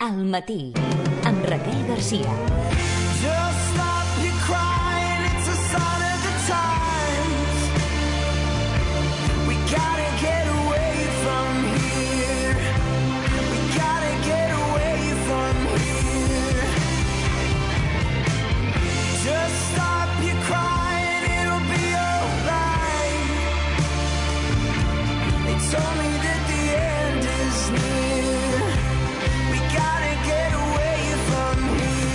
Al matí, amb Raquel Garcia. Just stop your crying, it's a sign of the times. We gotta get away from here. We gotta get away from here. Just stop your crying, it'll be alright. They told me that the end is near. We gotta get away from here.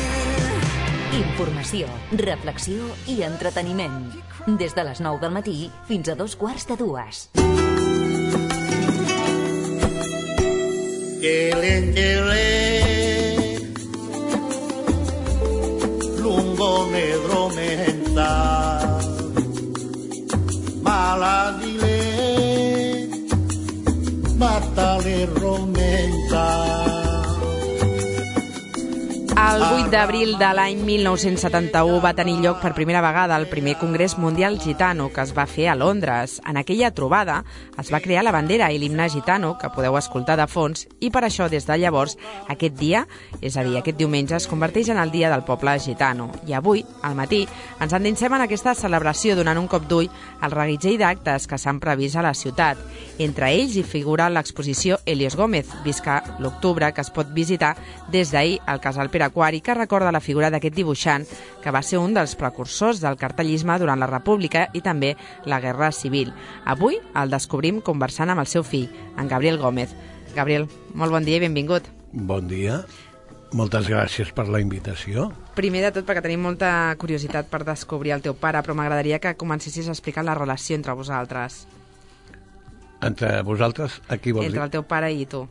Informació, reflexió i entreteniment. Des de les 9 del matí fins a 2:15. Lungo negro mental maladile batale romenta. El 8 d'abril de l'any 1971 va tenir lloc per primera vegada el primer Congrés Mundial Gitano, que es va fer a Londres. En aquella trobada es va crear la bandera i l'himne gitano, que podeu escoltar de fons, i per això, des de llavors, aquest dia, és a dir, aquest diumenge, es converteix en el Dia del Poble Gitano. I avui, al matí, ens endinsem en aquesta celebració donant un cop d'ull al reguitzell d'actes que s'han previst a la ciutat. Entre ells hi figura l'exposició Helios Gómez, Visca l'Octubre, que es pot visitar des d'ahir al Casal Pere Aquari, que recorda la figura d'aquest dibuixant que va ser un dels precursors del cartellisme durant la República i també la Guerra Civil. Avui el descobrim conversant amb el seu fill, en Gabriel Gómez. Gabriel, molt bon dia i benvingut. Bon dia, moltes gràcies per la invitació. Primer de tot, perquè tenim molta curiositat per descobrir el teu pare, però m'agradaria que comencessis a explicar la relació entre vosaltres. Entre vosaltres, a qui vols dir? Entre el teu pare i tu.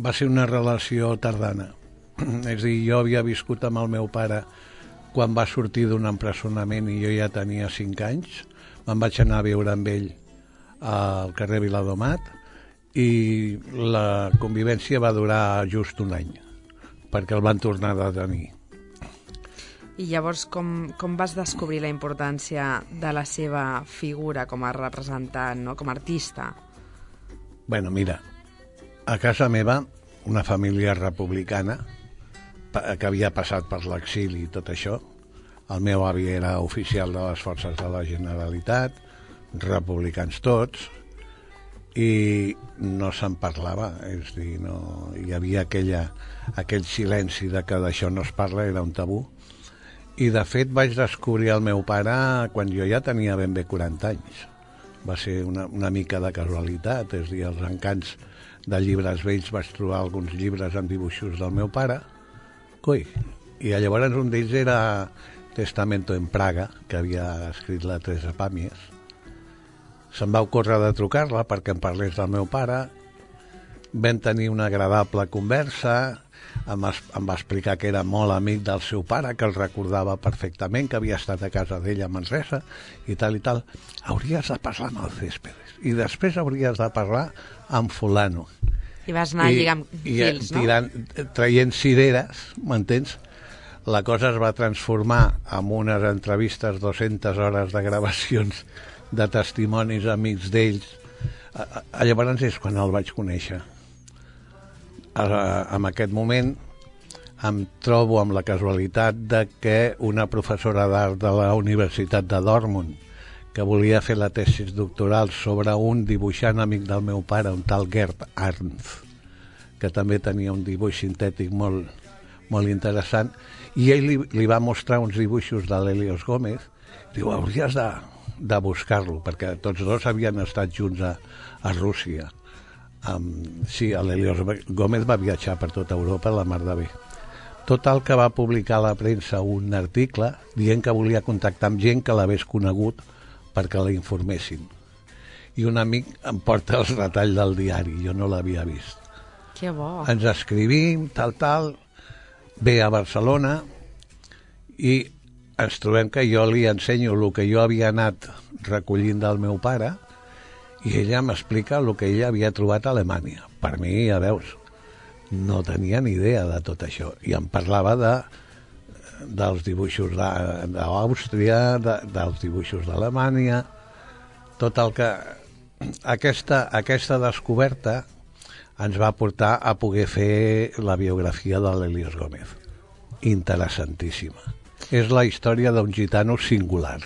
Va ser una relació tardana. És a dir, jo havia viscut amb el meu pare quan va sortir d'un empresonament i jo ja tenia 5 anys. Me'n vaig anar a viure amb ell al carrer Viladomat i la convivència va durar just un any, perquè el van tornar a detenir. I llavors, com vas descobrir la importància de la seva figura com a representant, no? Com a artista? Bueno, mira, a casa meva, una família republicana, que havia passat per l'exili i tot això. El meu avi era oficial de les forces de la Generalitat, republicans tots, i no se'n parlava, és a dir, no, hi havia aquell silenci de que d'això no es parla, era un tabú. I de fet vaig descobrir el meu pare quan jo ja tenia ben bé 40 anys. Va ser una mica de casualitat, és a dir, els encants de llibres vells vaig trobar alguns llibres amb dibuixos del meu pare. I llavors un d'ells era Testamento en Praga, que havia escrit la Teresa Pàmies. Se'm va ocórrer de trucar-la perquè em parlés del meu pare. Vam tenir una agradable conversa, em va explicar que era molt amic del seu pare, que el recordava perfectament, que havia estat a casa d'ell a Manresa, i tal. Hauries de parlar amb el Céspedes, i després hauries de parlar amb fulano. I vas anar lligant fils, no? Traient cireres, m'entens? La cosa es va transformar en unes entrevistes, 200 hores de gravacions de testimonis amics d'ells. Llavors és quan el vaig conèixer. En aquest moment em trobo amb la casualitat de que una professora d'art de la Universitat de Dortmund, que volia fer la tesi doctoral sobre un dibuixant amic del meu pare, un tal Gerd Arndt, que també tenia un dibuix sintètic molt, molt interessant, i ell li va mostrar uns dibuixos de l'Helios Gómez. Diu, hauries de buscar-lo, perquè tots dos havien estat junts a Rússia. Sí, l'Helios Gómez va viatjar per tota Europa, la mar de bé. Total, que va publicar a la premsa un article dient que volia contactar amb gent que l'hagués conegut perquè la informessin. I un amic em porta el retall del diari, jo no l'havia vist. Que bo. Ens escrivim, tal, ve a Barcelona i ens trobem que jo li ensenyo el que jo havia anat recollint del meu pare i ella m'explica el que ella havia trobat a Alemanya. Per mi, ja veus, no tenia ni idea de tot això. I em parlava dels dibuixos d'Àustria, dels dibuixos d'Alemanya, tot el que... Aquesta descoberta ens va portar a poder fer la biografia de l'Helios Gómez. Interessantíssima. És la història d'un gitano singular.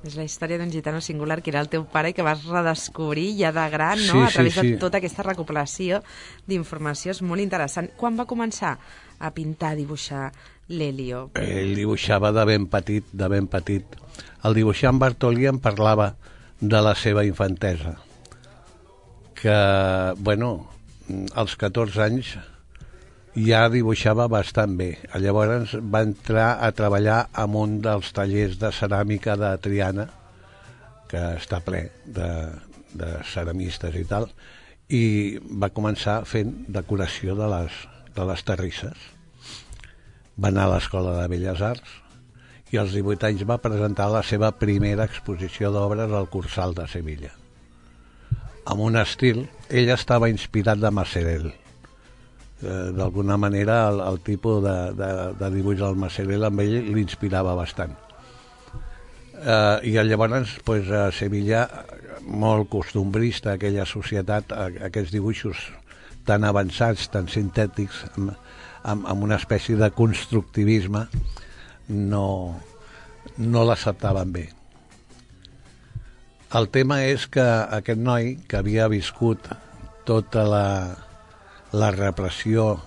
És la història d'un gitano singular que era el teu pare i que vas redescobrir ja de gran, no? A través de tota aquesta recopilació d'informació. És molt interessant. Quan va començar a pintar, a dibuixar l'Helio? Ell dibuixava de ben petit, de ben petit. El dibuixant Bartolí em parlava de la seva infantesa, que, bueno, als 14 anys ja dibuixava bastant bé. Llavors va entrar a treballar en un dels tallers de ceràmica de Triana, que està ple de ceramistes i tal, i va començar fent decoració de les terrisses. Va anar a l'Escola de Belles Arts i als 18 anys va presentar la seva primera exposició d'obres al Cursal de Sevilla. Amb un estil, ell estava inspirat de Masserel. D'alguna manera el tipus de dibuix del Masserel amb ell l'inspirava bastant. I llavors pues, a Sevilla, molt costumbrista aquella societat, aquests dibuixos tan avançats, tan sintètics, amb una espècie de constructivisme, no l'acceptaven bé. El tema és que aquest noi, que havia viscut tota la repressió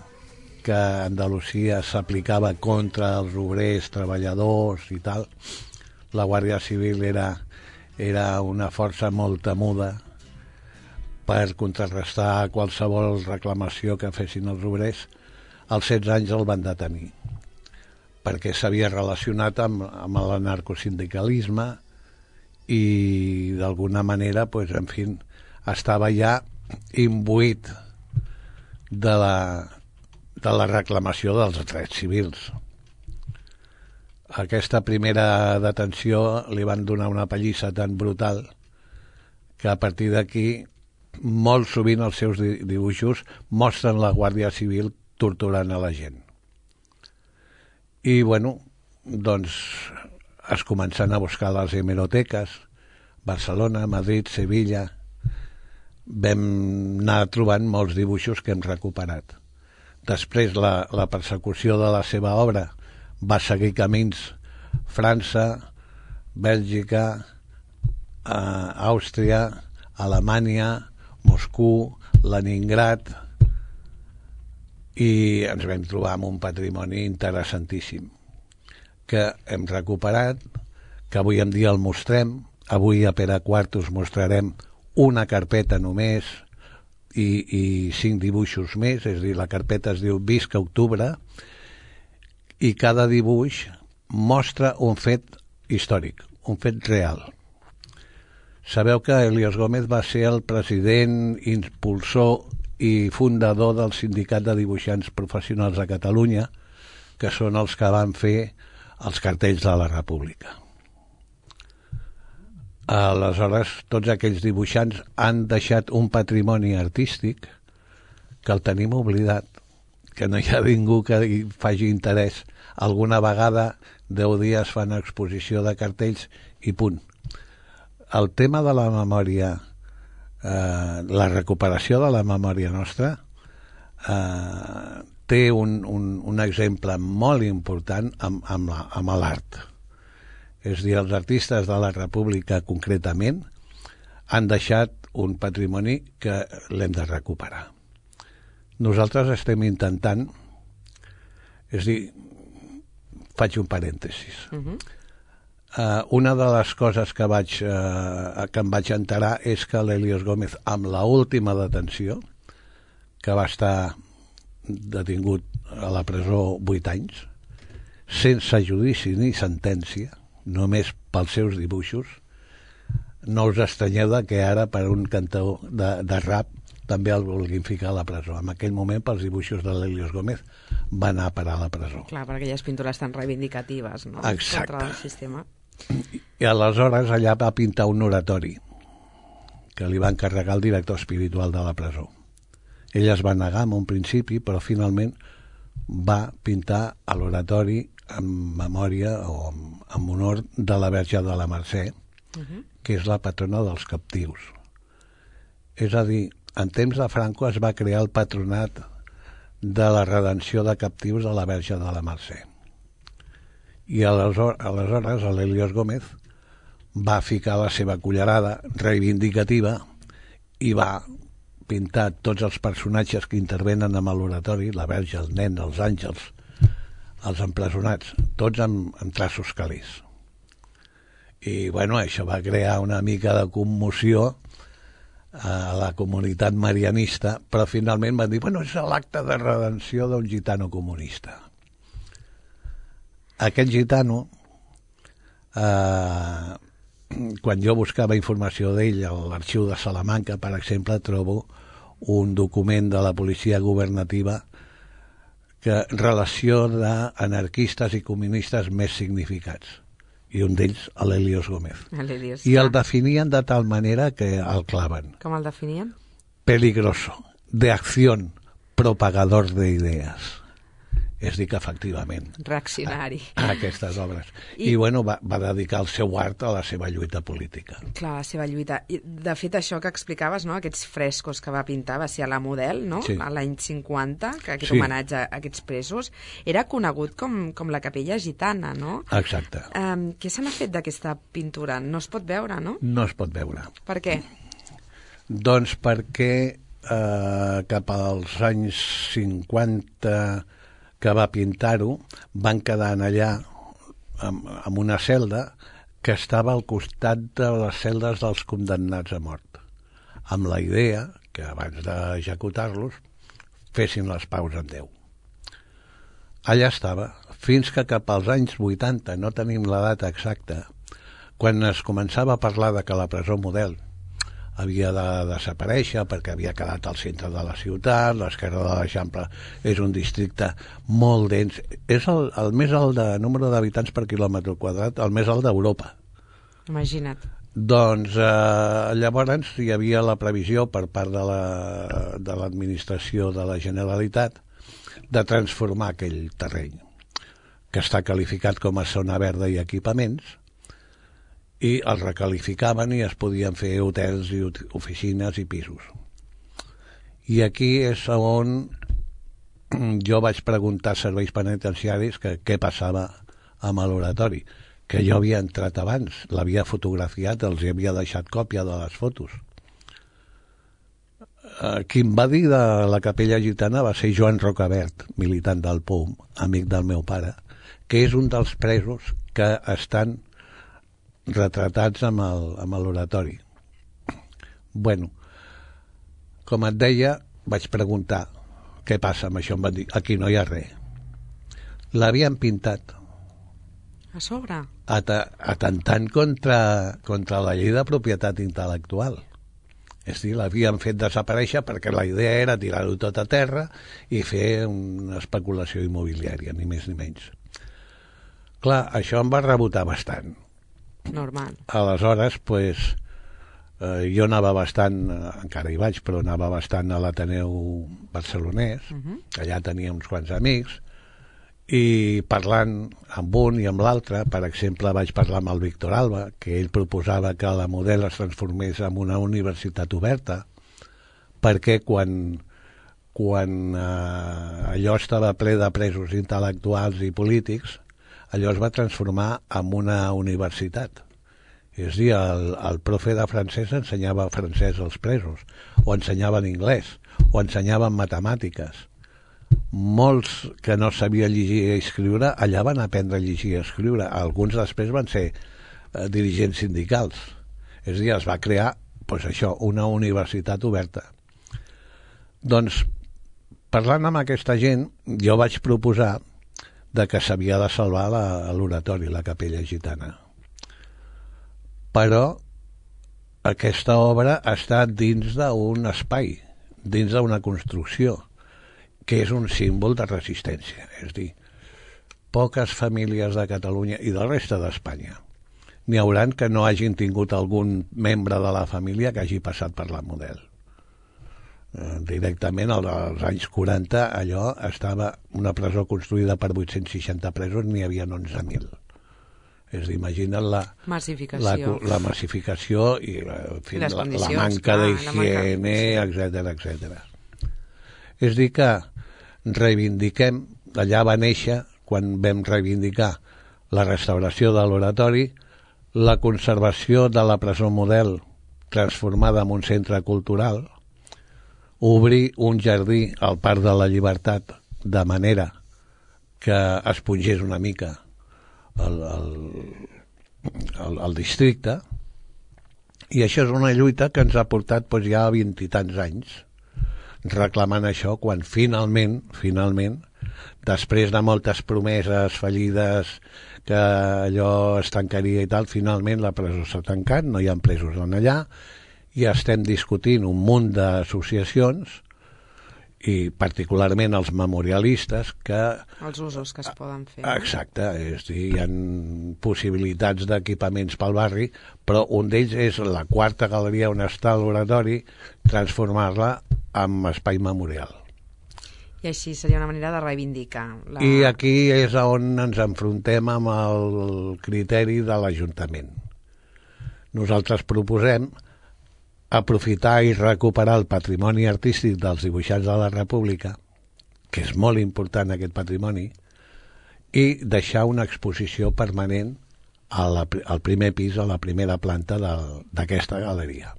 que a Andalusia s'aplicava contra els obrers, treballadors i tal, la Guàrdia Civil era una força molt temuda per contrarrestar qualsevol reclamació que fessin els obrers. Als 16 anys el van detenir perquè s'havia relacionat amb l'anarcosindicalisme i d'alguna manera, pues, en fi, estava ja imbuït de la reclamació dels drets civils. Aquesta primera detenció li van donar una pallissa tan brutal que a partir d'aquí molt sovint els seus dibuixos mostren la Guàrdia Civil torturant a la gent. I, bueno, doncs es comencen a buscar les hemeroteques, Barcelona, Madrid, Sevilla. Vam anar trobant molts dibuixos que hem recuperat. Després la persecució de la seva obra va seguir camins França, Bèlgica, Àustria, Alemanya, Moscou, Leningrad, i ens vam trobar amb un patrimoni interessantíssim que hem recuperat, que avui en dia el mostrem. Avui a Pere IV us mostrarem una carpeta només i 5 dibuixos més, és a dir, la carpeta es diu Visca Octubre, i cada dibuix mostra un fet històric, un fet real. Sabeu que Helios Gómez va ser el president, impulsor i fundador del Sindicat de Dibuixants Professionals de Catalunya, que són els que van fer els cartells de la República. Aleshores, tots aquells dibuixants han deixat un patrimoni artístic que el tenim oblidat, que no hi ha ningú que hi faci interès. Alguna vegada 10 dies fan exposició de cartells i punt. El tema de la memòria, la recuperació de la memòria nostra, té un exemple molt important amb l'art. És a dir, els artistes de la República concretament han deixat un patrimoni que l'hem de recuperar. Nosaltres estem intentant, és a dir, faig un parèntesis. Una de les coses que em vaig enterar és que l'Helios Gómez, amb l'última detenció, que va estar detingut a la presó 8 anys, sense judici ni sentència, només pels seus dibuixos, no us estranyeu que ara per un cantor de rap també el vulguin ficar a la presó. En aquell moment, pels dibuixos de l'Helios Gómez, va anar a parar a la presó. Clar, perquè aquelles pintures tan reivindicatives, no? Exacte. Contra el sistema. I aleshores allà va pintar un oratori que li va encarregar el director espiritual de la presó. Ell es va negar en un principi, però finalment va pintar l'oratori en memòria o en honor de la Verge de la Mercè, que és la patrona dels captius. És a dir, en temps de Franco es va crear el patronat de la redenció de captius de la Verge de la Mercè. I aleshores l'Helios Gómez va ficar la seva cullerada reivindicativa i va pintar tots els personatges que intervenen amb l'oratori, la Verge, el nen, els àngels, els empresonats, tots amb traços calés. I bueno, això va crear una mica de commoció a la comunitat marianista, però finalment van dir, bueno, és l'acte de redenció d'un gitano comunista. Aquest gitano, quan jo buscava informació d'ell a l'arxiu de Salamanca, per exemple, trobo un document de la policia governativa que relació d'anarquistes i comunistes més significats, i un d'ells, l'Helios Gómez. I el definien de tal manera que el claven. Com el definien? Peligroso, de acción, propagador de ideas. És dir, que efectivament reaccionari a aquestes obres. I bueno, va dedicar el seu art a la seva lluita política. Clar, la seva lluita. I, de fet, això que explicaves, no? Aquests frescos que va pintar, va ser a la Model, no? Sí. A l'any 50, que aquest homenatge a aquests presos era conegut com la Capella Gitana, no? Exacte. Què se n'ha fet d'aquesta pintura? No es pot veure, no? No es pot veure. Per què? Doncs perquè cap als anys 50 que va pintar-ho, van quedar allà amb una celda que estava al costat de les celdes dels condemnats a mort, amb la idea que abans d'executar-los fessin les paus en Déu. Allà estava, fins que cap als anys 80, no tenim la data exacta, quan es començava a parlar de que la presó Model havia de desaparèixer perquè havia quedat al centre de la ciutat, l'esquerra de l'Eixample és un districte molt dens, és el més alt de número d'habitants per quilòmetre quadrat, el més alt d'Europa. Imagina't. Doncs llavors hi havia la previsió per part de l'administració de la Generalitat de transformar aquell terreny, que està qualificat com a zona verda i equipaments, i els recalificaven i es podien fer hotels i oficines i pisos. I aquí és on jo vaig preguntar als serveis penitenciaris que què passava amb l'oratori, que jo havia entrat abans, l'havia fotografiat, els havia deixat còpia de les fotos. Qui em va dir de la Capella Gitana va ser Joan Rocabert, militant del POUM, amic del meu pare, que és un dels presos que estan retratats amb l'oratori. Bueno, com et deia, vaig preguntar què passa amb això, em van dir, aquí no hi ha res. L'havien pintat a sobre, atentant contra la llei de propietat intel·lectual. És a dir, l'havien fet desaparèixer perquè la idea era tirar-ho tot a terra i fer una especulació immobiliària, ni més ni menys. Clar, això em va rebotar bastant. Normal. Aleshores, pues, jo anava bastant, encara hi vaig, però anava bastant a l'Ateneu barcelonès, allà tenia uns quants amics, i parlant amb un i amb l'altre, per exemple, vaig parlar amb el Víctor Alba, que ell proposava que la Model es transformés en una universitat oberta, perquè quan allò estava ple de presos intel·lectuals i polítics, allò es va transformar en una universitat. És a dir, el profe de francès ensenyava francès als presos, o ensenyaven anglès, o ensenyaven matemàtiques. Molts que no sabien llegir i escriure, allà van aprendre a llegir i escriure. Alguns després van ser dirigents sindicals. És a dir, es va crear, doncs això, una universitat oberta. Doncs, parlant amb aquesta gent, jo vaig proposar de que s'havia de salvar l'oratori, la Capella Gitana. Però aquesta obra està dins d'un espai, dins d'una construcció, que és un símbol de resistència. És a dir, poques famílies de Catalunya i del reste d'Espanya n'hi hauran que no hagin tingut algun membre de la família que hagi passat per la Model. Directament als anys 40 allò estava una presó construïda per 860 presos, n'hi havia 11.000. És a dir, imagina't la massificació i la manca d'higiene, etc. És a dir, que reivindiquem, allà va néixer, quan vam reivindicar la restauració de l'oratori, la conservació de la presó model transformada en un centre cultural, obrir un jardí al Parc de la Llibertat de manera que es pungés una mica el districte, i això és una lluita que ens ha portat ja 20 i tants anys reclamant això, quan finalment, després de moltes promeses fallides que allò es tancaria i tal, finalment la presó s'ha tancat, no hi ha presos en allà, i estem discutint un munt d'associacions i particularment els memorialistes que... Els usos que es poden fer. Exacte, és a dir, hi ha possibilitats d'equipaments pel barri, però un d'ells és la quarta galeria on està l'oratori, transformar-la en espai memorial. I així seria una manera de reivindicar. I aquí és on ens enfrontem amb el criteri de l'Ajuntament. Nosaltres proposem aprofitar i recuperar el patrimoni artístic dels dibuixants de la República, que és molt important aquest patrimoni, i deixar una exposició permanent al primer pis, a la primera planta d'aquesta galeria.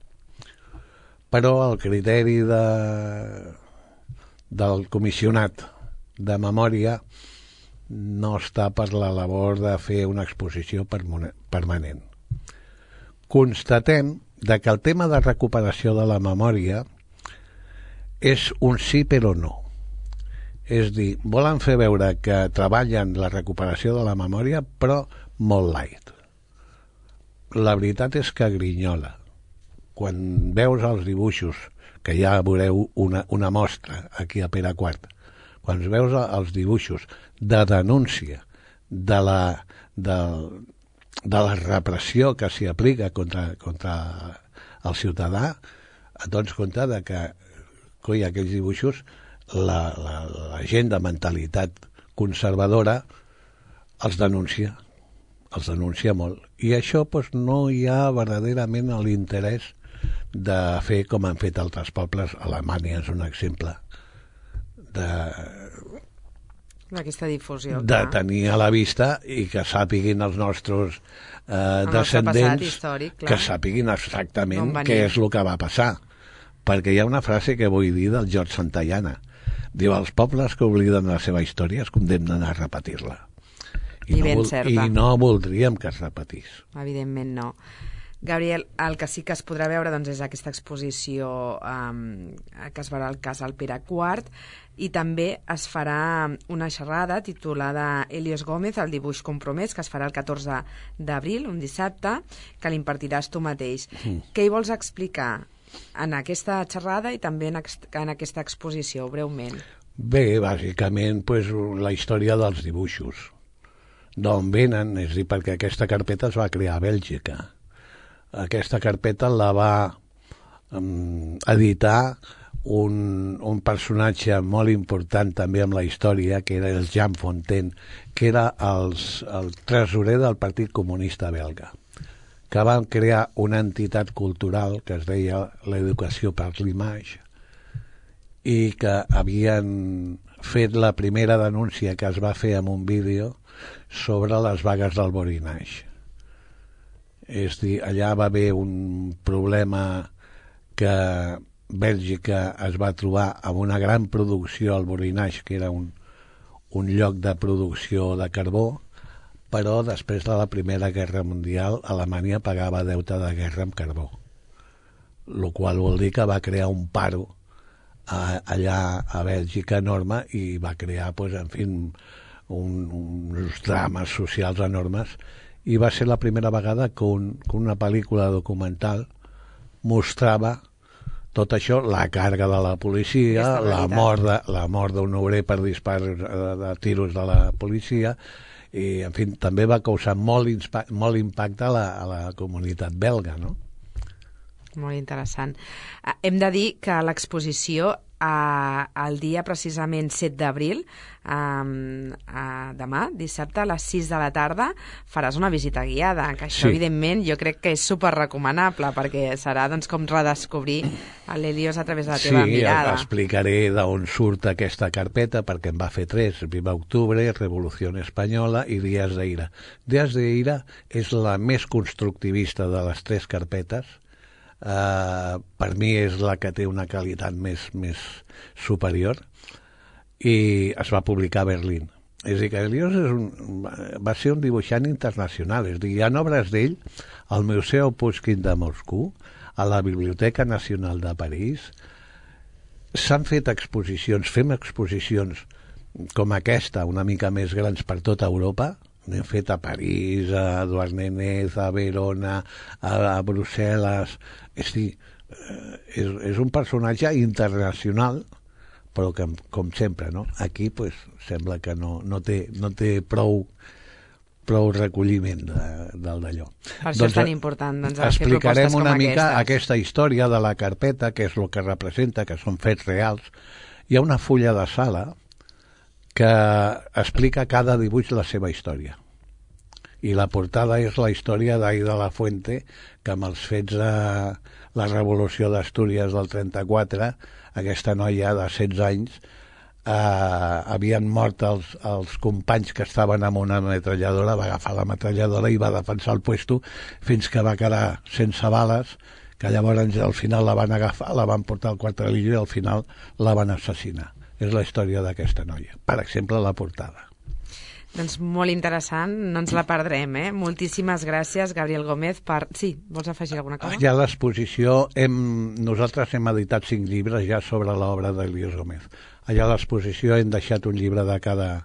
Però el criteri del comissionat de memòria no està per la labor de fer una exposició permanent. Constatem que el tema de recuperació de la memòria és un sí però no. És dir, volen fer veure que treballen la recuperació de la memòria, però molt light. La veritat és que grinyola. Quan veus els dibuixos, que ja veureu una mostra aquí a Pere IV, quan veus els dibuixos de denúncia de la repressió que s'hi aplica contra el ciutadà, et dones compte que aquells dibuixos la gent de mentalitat conservadora els denuncia molt, i això no hi ha verdaderament l'interès de fer com han fet altres pobles. Alemanya és un exemple d'aquesta difusió, de tenir a la vista i que sàpiguin els nostres descendents històric, que sàpiguin exactament què és el que va passar, perquè hi ha una frase que vull dir del George Santayana, diu: els pobles que obliden la seva història es condemnen a repetir-la, i no voldríem que es repetís. Evidentment no. Gabriel, el que sí que es podrà veure és aquesta exposició que es farà al Casal Pere IV, i també es farà una xerrada titulada Helios Gómez, el dibuix compromès, que es farà el 14 d'abril, un dissabte, que l'impartiràs tu mateix. Què hi vols explicar en aquesta xerrada i també en aquesta exposició, breument? Bé, bàsicament la història dels dibuixos, d'on venen, és a dir, perquè aquesta carpeta es va crear a Bèlgica. Aquesta carpeta la va editar un personatge molt important també amb la història, que era el Jean Fontaine, que era el tresorer del Partit Comunista belga, que van crear una entitat cultural que es deia l'Educació per l'Image, i que havien fet la primera denúncia que es va fer en un vídeo sobre les vagues del Borinage. És a dir, allà va haver un problema que Bèlgica es va trobar amb una gran producció al Borinage, que era un lloc de producció de carbó, però després de la Primera Guerra Mundial Alemanya pagava deute de guerra amb carbó, el qual vol dir que va crear un paro allà a Bèlgica enorme, i va crear uns drames socials enormes, i va ser la primera vegada que una pel·lícula documental mostrava tot això, la càrrega de la policia, la mort d'un obrer per dispar de tiros de la policia, i en fi, també va causar molt impacte a la comunitat belga, no? Molt interessant. Hem de dir que l'exposició el dia precisament 7 d'abril, demà, dissabte, a les 6 de la tarda, faràs una visita guiada, que això, evidentment, jo crec que és superrecomanable, perquè serà com redescobrir l'Helios a través de la teva mirada. Sí, explicaré d'on surt aquesta carpeta, perquè en va fer 3, Viva Octubre, Revolució Espanyola i Días de Ira. Días de Ira és la més constructivista de les 3 carpetes. Per mi és la que té una qualitat més superior, i es va publicar a Berlín. És a dir, que Helios va ser un dibuixant internacional. És a dir, hi ha obres d'ell al Museu Pushkin de Moscou, a la Biblioteca Nacional de París. S'han fet exposicions, fem exposicions com aquesta, una mica més grans per tota Europa. N'hem fet a París, a Douarnenez, a Verona, a Brussel·les. És a dir, és un personatge internacional, però que, com sempre, no? Aquí pues, sembla que no té prou recolliment del d'allò. Per això és tan important. Explicarem una mica aquesta història de la carpeta, que és el que representa, que són fets reals. Hi ha una fulla de sala que explica cada dibuix la seva història. I la portada és la història d'Aida Lafuente, que amb els fets de la Revolució d'Astúries del 34, aquesta noia de 16 anys, havien mort els companys que estaven amb una ametralladora, va agafar la ametralladora i va defensar el puesto fins que va quedar sense bales, que llavors al final la van agafar, la van portar al quartelillo i al final la van assassinar. És la història d'aquesta noia. Per exemple, la portada. Doncs molt interessant, no ens la perdrem, eh? Moltíssimes gràcies, Gabriel Gómez, per... Sí, vols afegir alguna cosa? Ja a l'exposició, nosaltres hem editat 5 llibres ja sobre l'obra d'Helios Gómez. Allà a l'exposició hem deixat un llibre de cada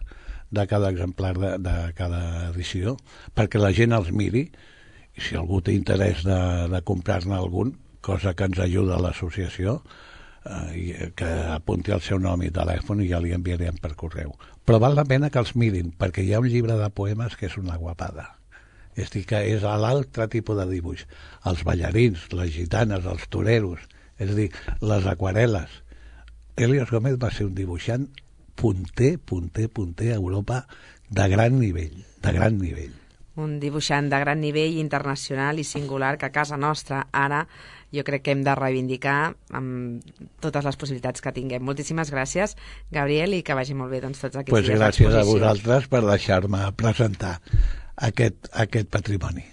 exemplar de cada edició, perquè la gent els miri, i si algú té interès de comprar-ne algun, cosa que ens ajuda a l'associació, que apunti el seu nom i telèfon i ja li enviarem per correu. Però val la pena que els mirin, perquè hi ha un llibre de poemes que és una guapada. És a dir, que és l'altre tipus de dibuix. Els ballarins, les gitanes, els toreros, és a dir, les aquarel·les. Helios Gómez va ser un dibuixant punter a Europa de gran nivell, Un dibuixant de gran nivell internacional i singular que a casa nostra ara jo crec que hem de reivindicar amb totes les possibilitats que tinguem. Moltíssimes gràcies, Gabriel, i que vagi molt bé tots aquests dies d'exposició. Gràcies a vosaltres per deixar-me presentar aquest patrimoni.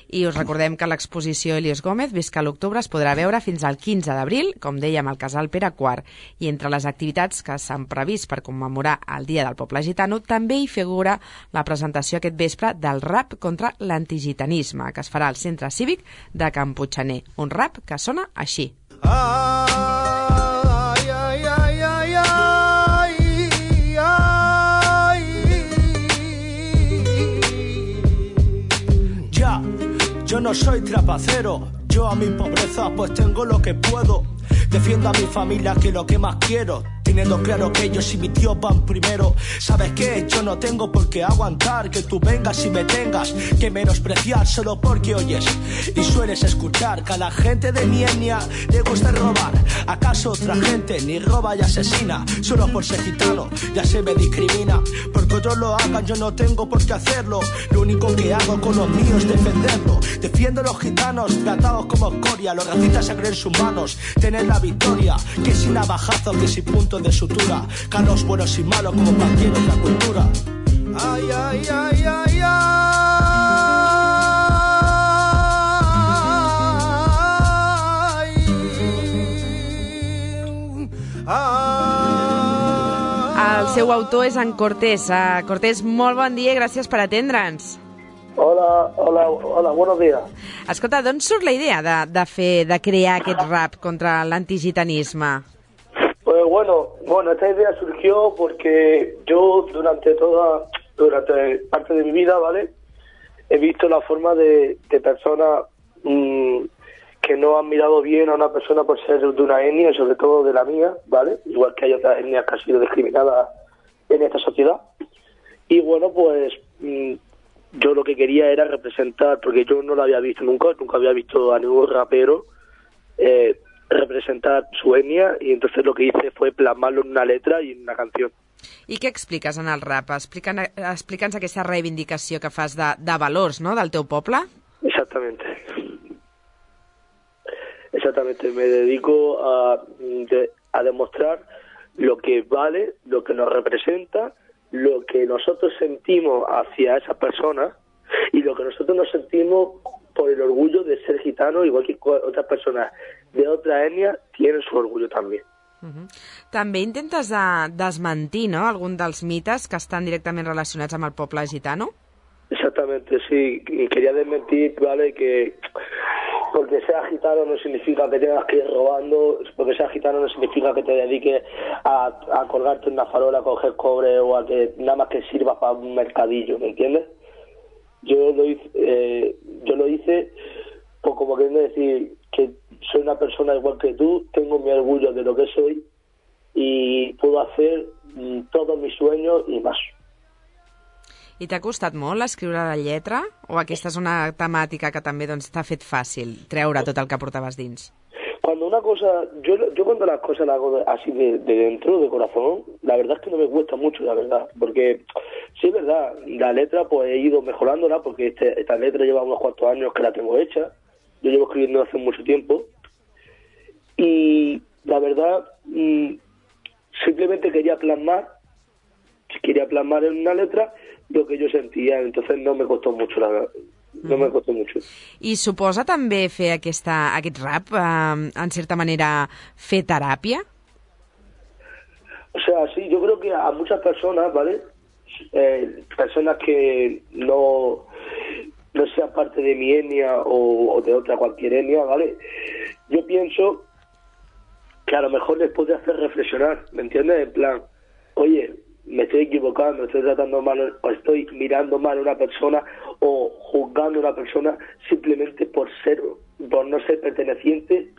I us recordem que l'exposició Helios Gómez Visca l'Octubre es podrà veure fins al 15 d'abril, com dèiem, al Casal Pere IV. I entre les activitats que s'han previst per commemorar el Dia del Poble Gitano també hi figura la presentació aquest vespre del rap contra l'antigitanisme, que es farà al Centre Cívic de Can Puiggener. Un rap que sona així. Yo no soy trapacero, yo a mi pobreza pues tengo lo que puedo. Defiendo a mi familia, que es lo que más quiero, teniendo claro que ellos y mi tío van primero. ¿Sabes qué? Yo no tengo por qué aguantar que tú vengas y me tengas que menospreciar solo porque oyes y sueles escuchar que a la gente de mi etnia le gusta robar. ¿Acaso otra gente ni roba y asesina solo por ser gitano? Ya se me discrimina. Porque otros lo hagan yo no tengo por qué hacerlo. Lo único que hago con los míos es defenderlo. Defiendo a los gitanos tratados como escoria, los racistas se creen sus manos, tener la victoria, que sin navajazo, que sin punto de sutura, que a los buenos y malos como cualquier otra cultura. Ay, ay, ay, ay, El seu autor és en Cortés. Cortés, molt bon dia i gràcies per atendre'ns. Hola, buenos días. Escolta, d'on surt la idea de crear aquest rap contra l'antigitanisme? Pues bueno, esta idea surgió porque yo durante parte de mi vida, ¿vale? He visto la forma de personas que no han mirado bien a una persona por ser de una etnia, sobre todo de la mía, ¿vale? Igual que hay otras etnias que han sido discriminadas en esta sociedad. Y bueno, pues yo lo que quería era representar, porque yo no lo había visto nunca había visto a ningún rapero representar su etnia, y entonces lo que hice fue plasmarlo en una letra y en una canción. I què expliques en el rap? Explica'ns aquesta reivindicació que fas de valors, no?, del teu poble. Exactamente, me dedico a demostrar lo que vale, lo que nos representa, lo que nosotros sentimos hacia esas personas y lo que nosotros nos sentimos por el orgullo de ser gitanos, igual que otras personas de otra etnia tienen su orgullo también. També intentes desmentir, no?, algun dels mites que estan directament relacionats amb el poble gitano? Exactamente, sí. Y quería desmentir, ¿vale?, que porque seas gitano no significa que tengas que ir robando, porque seas gitano no significa que te dediques a colgarte en una farola, a coger cobre o a que nada más que sirva para un mercadillo, ¿me entiendes? Yo lo hice pues como queriendo decir que soy una persona igual que tú, tengo mi orgullo de lo que soy y puedo hacer todos mis sueños y más. I t'ha costat molt escriure la lletra? O aquesta és una temàtica que també t'ha fet fàcil treure tot el que portaves dins? Cuando una cosa, yo cuando las cosas las hago así de dentro, de corazón, la verdad es que no me cuesta mucho, la verdad, porque sí es verdad, la letra pues he ido mejorándola, porque esta letra lleva unos cuantos años que la tengo hecha, yo llevo escribiendo hace mucho tiempo, y la verdad simplemente quería plasmar en una letra lo que yo sentía, entonces no me costó mucho, la verdad. No me costó mucho. I suposa també fer aquest rap, en cierta manera, fer teràpia? O sea, sí, yo creo que a muchas personas, ¿vale? Personas que no sean parte de mi etnia o de otra cualquier etnia, ¿vale? Yo pienso que a lo mejor les puede hacer reflexionar, ¿me entiendes? En plan, oye, me estoy equivocando, estoy tratando mal, o estoy mirando mal a una persona o juzgando a una persona simplemente por no ser perteneciente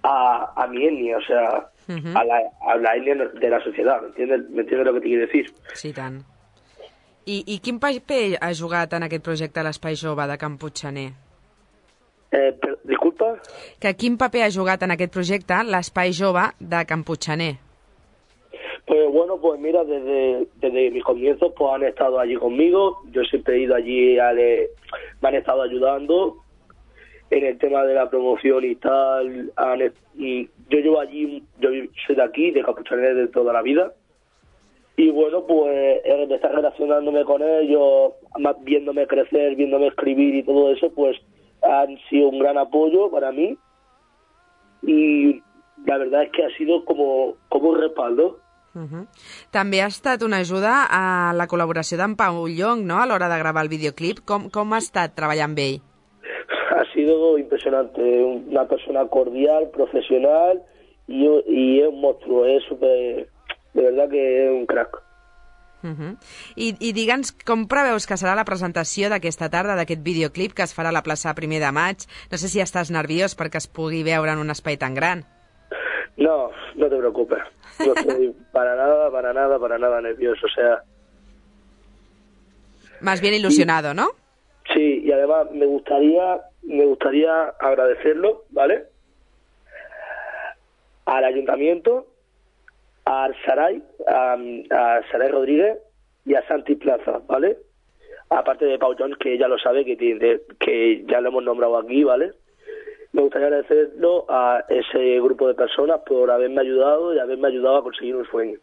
a mi etnia, o sea, a la etnia de la sociedad, ¿me entiendes lo que te quiero decir? Sí, tant. I quin paper ha jugat en aquest projecte l'Espai Jove de Can Puigxaner? Disculpa? Que quin paper ha jugat en aquest projecte l'Espai Jove de Can Puigxaner? Pues bueno, pues mira, desde mis comienzos pues han estado allí conmigo, yo siempre he ido allí, me han estado ayudando en el tema de la promoción y tal, y yo llevo allí, yo soy de aquí, de Can Puigxaner de toda la vida, y bueno, pues de estar relacionándome con ellos, viéndome crecer, viéndome escribir y todo eso, pues han sido un gran apoyo para mí, y la verdad es que ha sido como un respaldo. També ha estat una ajuda a la col·laboració d'en Pau Llong, no?, a l'hora de gravar el videoclip. Com ha estat treballar amb ell? Ha sido impresionante, una persona cordial, profesional y es un monstruo, de verdad que es un crack. I digue'ns com preveus que serà la presentació d'aquesta tarda, d'aquest videoclip que es farà a la plaça 1 de maig. No sé si estàs nerviós perquè es pugui veure en un espai tan gran. No, no te preocupes. No estoy para nada nervioso, o sea... Más bien ilusionado, ¿no? Sí, y además me gustaría agradecerlo, ¿vale? Al ayuntamiento, al Saray, a Saray Rodríguez y a Santi Plaza, ¿vale? Aparte de Pau Jones, que ya lo sabe, que ya lo hemos nombrado aquí, ¿vale? Me gustaría agradecerlo a ese grupo de personas por haberme ayudado y haberme ayudado a conseguir un sueño.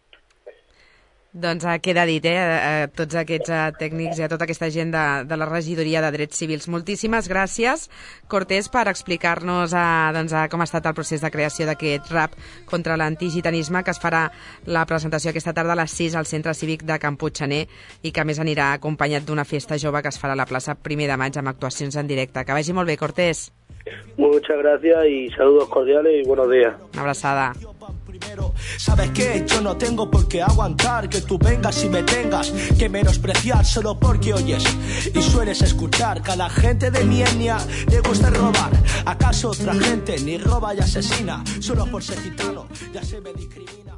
Doncs queda dit, a tots aquests tècnics i a tota aquesta gent de la regidoria de Drets Civils. Moltíssimes gràcies, Cortés, per explicar-nos com ha estat el procés de creació d'aquest rap contra l'antigitanisme, que es farà la presentació aquesta tarda a les 6 al Centre Cívic de Can Puigxaner i que a més anirà acompanyat d'una festa jove que es farà a la plaça 1 de maig amb actuacions en directe. Que vagi molt bé, Cortés. Muchas gracias y saludos cordiales y buenos días. Una abraçada. ¿Sabes qué? Yo no tengo por qué aguantar que tú vengas y me tengas que menospreciar solo porque oyes y sueles escuchar que a la gente de mi etnia le gusta robar. ¿Acaso otra gente ni roba y asesina solo por ser gitano? Ya se me discrimina.